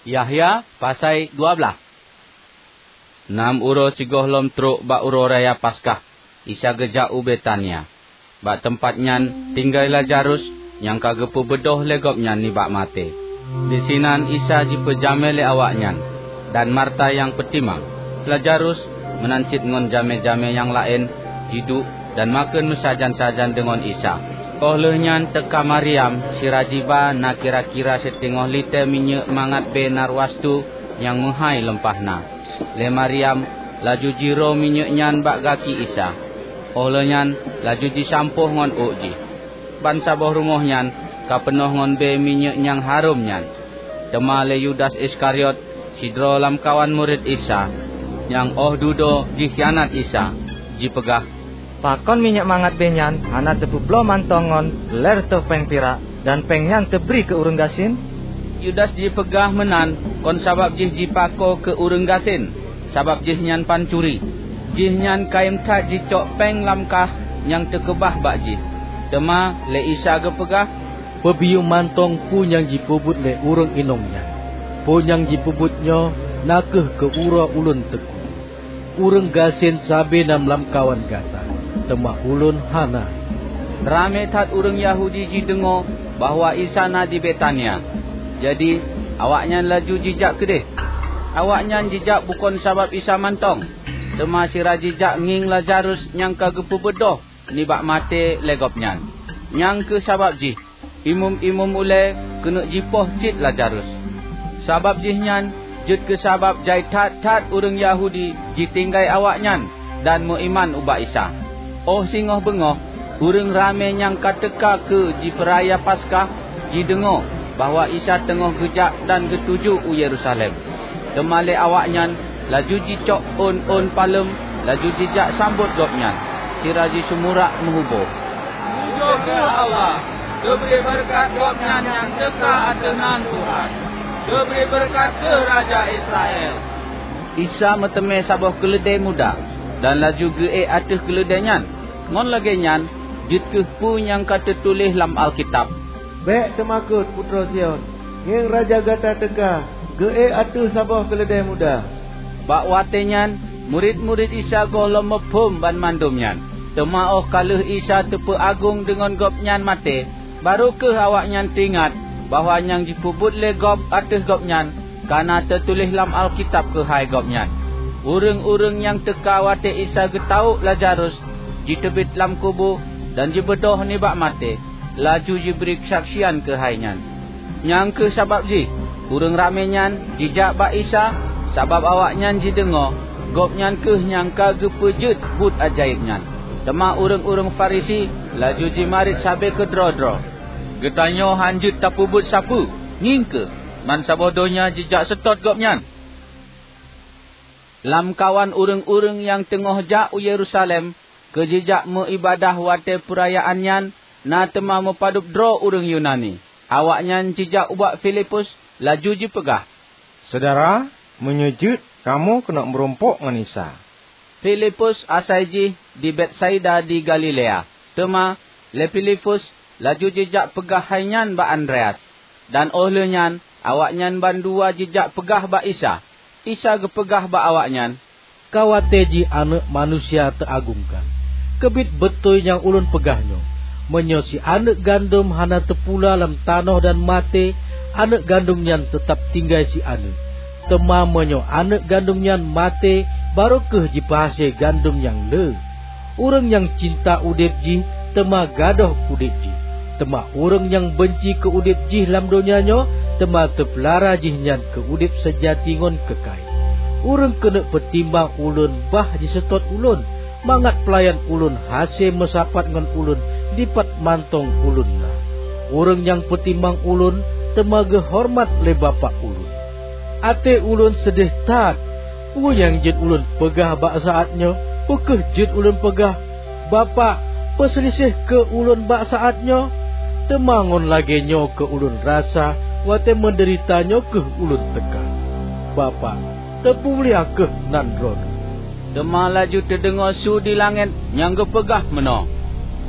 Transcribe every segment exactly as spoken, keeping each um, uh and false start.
Yahya pasai dua blaih. Nam uroe sigohlom trok bak Uroe Raya Paskah, Isa geujak u Betania. Bak teumpat nyan tinggai Lazarus nyang ka geupeubeudôh lé Gobnyan nibak maté. Disinan Isa jipeujamé lé awaknyan, dan Marta nyang peutimang. Lazarus, meunan cit ngon jamé-jamé nyang laén, jiduek dan makheun meusajan-sajan deungon Isa. Óh lheueh nyan teuka Maryam sira jiba na kira-kira siteungoh litée minyeuk mangat bée narwastu nyang meuhái leumpah na. Lé Maryam laju jiroe minyeuk nyan bak gaki Isa, óh lheueh nyan laju jisampôh ngon ôk jih. Bansaboh rumoh nyan ka peunoh ngon bée minyeuk nyang harôm nyan. Teuma lé Yudas Iskariot, sidroe lamkawan murit Isa, nyang óh dudoe jikhianat Isa, jipeugah, "Pakon minyeuk mangat bée nyan hana teupeubloe mantong ngon lhée reutôh péng pirak, dan péng nyan teubri keu ureuëng gasien?" Yudas jipeugah meunan kon sabab jih jipako keu ureuëng gasien, sabab jihnyan pancuri. Jihnyan kayém that jicok péng lam kah nyang teukeubah bak jih. Teuma lé Isa geupeugah, "Peubiyeu mantong peue nyang jipeubuet lé ureuëng inong nyan. Peue nyang jipeubuet nyoe na kheueh keu uroe Ulôn teukue. Ureuëng gasien sabe na lamkawan gata, teuma Ulôn hana." Ramé that ureuëng Yahudi jideungoe bahwa Isa na di Betania. Jadi, awaknyan laju jijak keudeh. Awaknyan jijak bukon sabab Isa mantong, teuma sira jijak ngieng Lazarus nyang ka geupeubeudôh nibak maté lé Gobnyan. Nyang kheueh sabab jih imeum-imeum ulée keuneuk jipoh cit Lazarus. Sabab jihnyan jeuet keu sabab jai that-that ureuëng Yahudi jitinggai awaknyan dan meuiman ubak Isa. Óh singoh beungoh, ureuëng ramé nyang ka teuka keu jipeuraya Paskah jideungoe bahwa Isa teungoh geujak dan geutuju u Yerusalem. Teuma lé awaknyan laju jicok ôn-ôn paleuem, laju jijak sambot Gobnyan, sira jisumurak meuhubô, "Pujoe kheueh Allah! Geubri beureukat Gobnyan nyang teuka ateueh nan Tuhan! Geubri beureukat kheueh Raja Israel!" Isa meuteumé saboh keuleudée muda dan laju geuék ateueh keuleudée nyan. Ngon lagée nyan jeuet kheueh peue nyang ka teutuléh lam Alkitab, "Bék teumakot, putroe Sion! Ngieng Raja gata teuka, geuék ateueh saboh keuleudée muda." Bak watée nyan, murit-murit Isa gohlom muphom banmandum nyan. Teuma óh ka lheueh Isa teupeuagong deungon Gobnyan maté, barô kheueh awaknyan teuingat bahwa nyang jipeubuet lé gob ateueh Gobnyan ka na teutuléh lam Alkitab keuhai Gobnyan. Ureuëng-ureuëng nyang teuka watée Isa geutawök Lazarus jiteubiet lam kubu dan jibeudôh nibak maté, laju jibri keusaksian keuhai nyan. Nyang kheueh sabab jih ureuëng ramé nyan jijak bak Isa, sabab awaknyan jideungoe Gobnyan kheueh nyang ka geupeujeuet buet ajaéb nyan. Teuma ureuëng-ureuëng Farisi laju jimarit sabe keudroe-droe, "Geutanyoe hán jeuet tapeubuet sapeue! Ngieng kheueh, bansaboh donya jijak seutôt Gobnyan!" Lamkawan ureuëng-ureuëng nyang teungoh jak u Yerusalem keu jijak meuiébadah watée peurayaan nyan na teuma meupadub droe ureuëng Yunani. Awaknyan jijak ubak Filipus laju jipeugah, "Syedara, meunyoe jeuet, kamoe keuneuk meurumpok ngon Isa." Filipus asai jih di Betsaida di Galilea. Teuma lé Filipus laju jijak peugah hai nyan bak Andreas, dan óh lheueh nyan awaknyan bandua jijak peugah bak Isa. Isa geupeugah bak awaknyan, "Ka watée jih Aneuëk Manusia teuagongkan. Keubiet beutôi nyang Ulôn peugah nyoe, meunyoe si aneuëk gandom hana teupula lam tanoh dan maté, aneuëk gandom nyan teutab tinggai si aneuëk. Teuma meunyoe aneuëk gandom nyan maté, barô kheueh jipeuhase gandom nyang le. Ureuëng nyang cinta udeb jih teuma gadôh udeb jih. Teuma ureuëng nyang beunci keu udeb jih lam donya nyoe, teuma teupeulara jihnyan keu udeb seujati ngon keukai. Ureuëng keuneuk peutimang Ulôn bah jiseutôt Ulôn, mangat peulayan Ulôn hase meusapat ngon Ulôn dipat mantong Ulôn na. Ureuëng nyang peutimang Ulôn teuma geuhoreumat lé Bapak Ulôn. Até Ulôn seudeh that. Peue nyang jeuet Ulôn peugah bak saát nyoe? Peu kheueh jeuet Ulôn peugah, 'Bapak, peuseulideh keu Ulôn bak saát nyoe'? Teuma ngon lagée nyoe keu Ulôn rasa watée meudeurita nyoe kheueh Ulôn teuka. Bapak, teupeumulia kheueh nan Droeneueh." Teuma laju teudeungoe su di langét nyang geupeugah meunoe,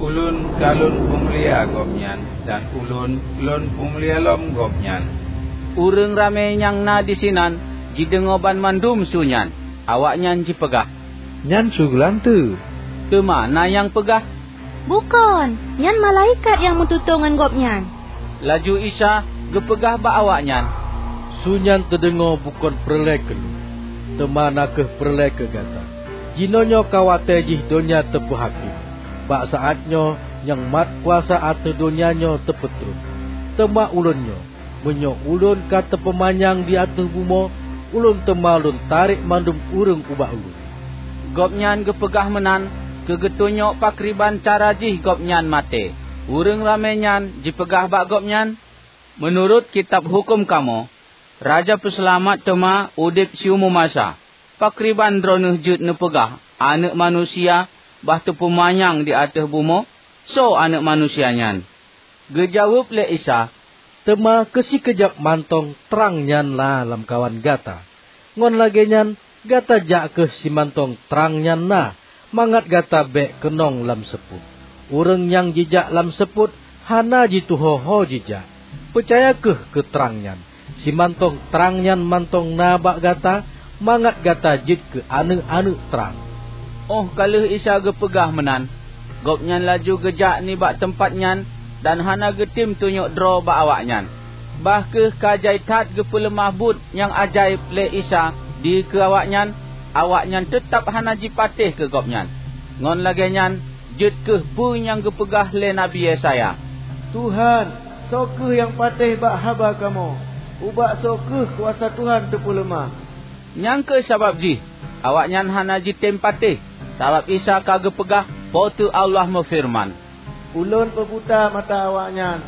"Ulôn ka Lôn peumulia Gobnyan, dan Ulôn Lôn peumulia lom Gobnyan." Ureuëng ramé nyang na disinan jideungoe banmandum su nyan. Awaknyan jipeugah, "Nyan su geulanteue." Teuma na nyang peugah, "Bukon, nyan malaikat nyang meututoe ngon gobnyan." Laju Isa geupeugah bak awaknyan, "Su nyan teudeungoe bukon peureulée keu lôn, teuma na kheueh peureulée keu gata. Jinoenyoe ka watée jih donya teupeuhakém. Bak saát nyoe nyang mat kuasa ateueh donya nyoe teupeutrok. Teuma ulôn nyoe, meunyoe ulôn ka teupeumanyang di ateueh bumoe, ulôn teuma lôn tarek mandum ureuëng ubak ulôn." Gobnyan geupeugah meunan keu geutunyok pakriban cara jih gobnyan maté. Ureuëng ramé nyan jipeugah bak gobnyan, "Meunurot kitab huköm kamoe, Raja Peuseulamat teuma udeb siumu masa. Pakriban droeneueh jeuet neupeugah Aneuëk Manusia bah teupeumanyang di ateueh bumoe? Soe Aneuëk Manusia nyan?" Geujaweueb lé Isa, "Teuma keu sikeujab mantong trang nyan na lamkawan gata. Ngon lagée nyan, gata jak kheueh simantong trang nyan na, mangat gata bék keunong lam seupôt. Ureuëng nyang jijak lam seupôt hana jituho-ho jijak. Peucaya kheueh keu trang nyan, simantong trang nyan mantong na bak gata, mangat gata jeuet keu aneuëk-aneuëk trang." Óh ka lheueh Isa geupeugah meunan, gobnyan laju geujak nibak teumpat nyan dan hana geutem tunyok droe bak awaknyan. Bah kheueh ka jai that geupeuleumah buet nyang ajaéb lé Isa dikeue awaknyan, awaknyan teutab hana jipatéh keu gobnyan. Ngon lagée nyan, jeuet kheueh peue nyang geupeugah lé Nabi Yesaya, "Tuhan, soe kheueh nyang patéh bak haba kamoe? Ubak soe kheueh kuasa Tuhan teupeuleumah?" Nyang kheueh sabab jih awaknyan hana jitem patéh, sabab Isa ka geupeugah, Po teu Allah meufeureuman, "Ulôn peubuta mata awaknyan,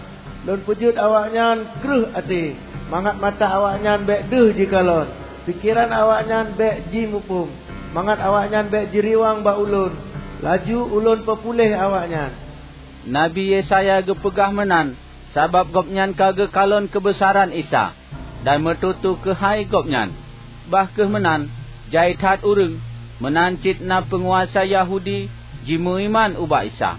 Lôn peujeuet awaknyan kreueh até, mangat mata awaknyan bék deuh jikalon, pikeran awaknyan bék jimuphom, mangat awaknyan bék jiriwang bak Ulôn, laju Ulôn peupuléh awaknyan." Nabi Yesaya geupeugah meunan sabab gobnyan ka geukalon keubeusaran Isa dan meututoe keuhai Gobnyan. Bah kheueh meunan, jai that ureuëng, meunan cit na peunguasa Yahudi, jimeuiman ubak Isa.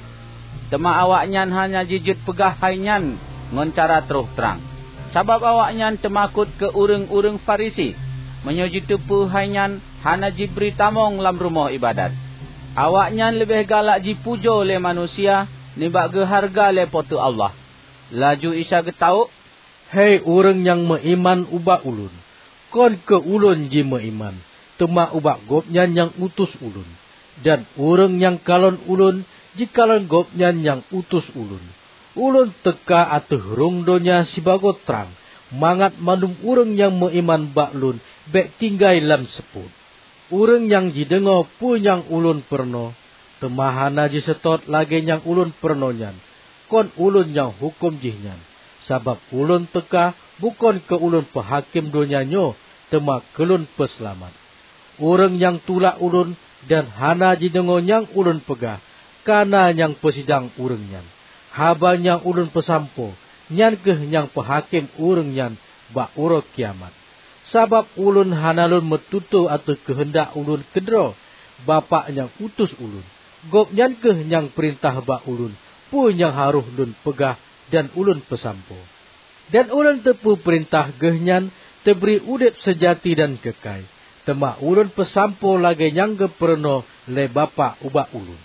Teuma awaknyan hana jijeuet peugah hai nyan ngon cara troh trang, sabab awaknyan teumakot keu ureuëng-ureuëng Farisi. Meunyoe jiteupeue hai nyan hana jibri tamong lam rumoh iébadat, awaknyan leubeh galak jipujoe lé manusia nibak geuhareuga lé Po teu Allah. Laju Isa geutawök, "Hai ureuëng nyang meuiman ubak Ulôn, kon keu Ulôn jimeuiman, teuma ubak Gobnyan nyang utus Ulôn. Dan ureuëng nyang kalon Ulôn, jikalon Gobnyan nyang utus Ulôn. Ulôn teuka ateueh rhueng donya sibagoe trang, mangat mandum ureuëng nyang meuiman bak Lôn bék tinggai lam seupôt. Ureuëng nyang jideungoe peue nyang Ulôn peurunoe, teuma hana jiseutôt lagée nyang Ulôn peurunoe nyan, kon Ulôn nyang huköm jihnyan. Sabab Ulôn teuka bukon keu Ulôn peuhakém donya nyoe, teuma keu Lôn peuseulamat. Ureuëng nyang tulak Ulôn dan hana jideungoe nyang Ulôn peugah, ka na nyang peusidang ureuëng nyan. Haba nyang Ulôn peusampoe, nyan kheueh nyang peuhakém ureuëng nyan bak uroe kiamat. Sabab Ulôn hana Lôn meututoe ateueh keuheundak Ulôn keudroe. Bapak nyang utus Ulôn, Gobnyan kheueh nyang peurintah bak Ulôn peue nyang harôh Lôn peugah dan Ulôn peusampoe. Dan Ulôn teupeu peurintah Geuhnyan teubri udeb seujati dan keukai, teuma Ulôn peusampoe lagée nyang geupeurunoe lé Bapak ubak Ulôn."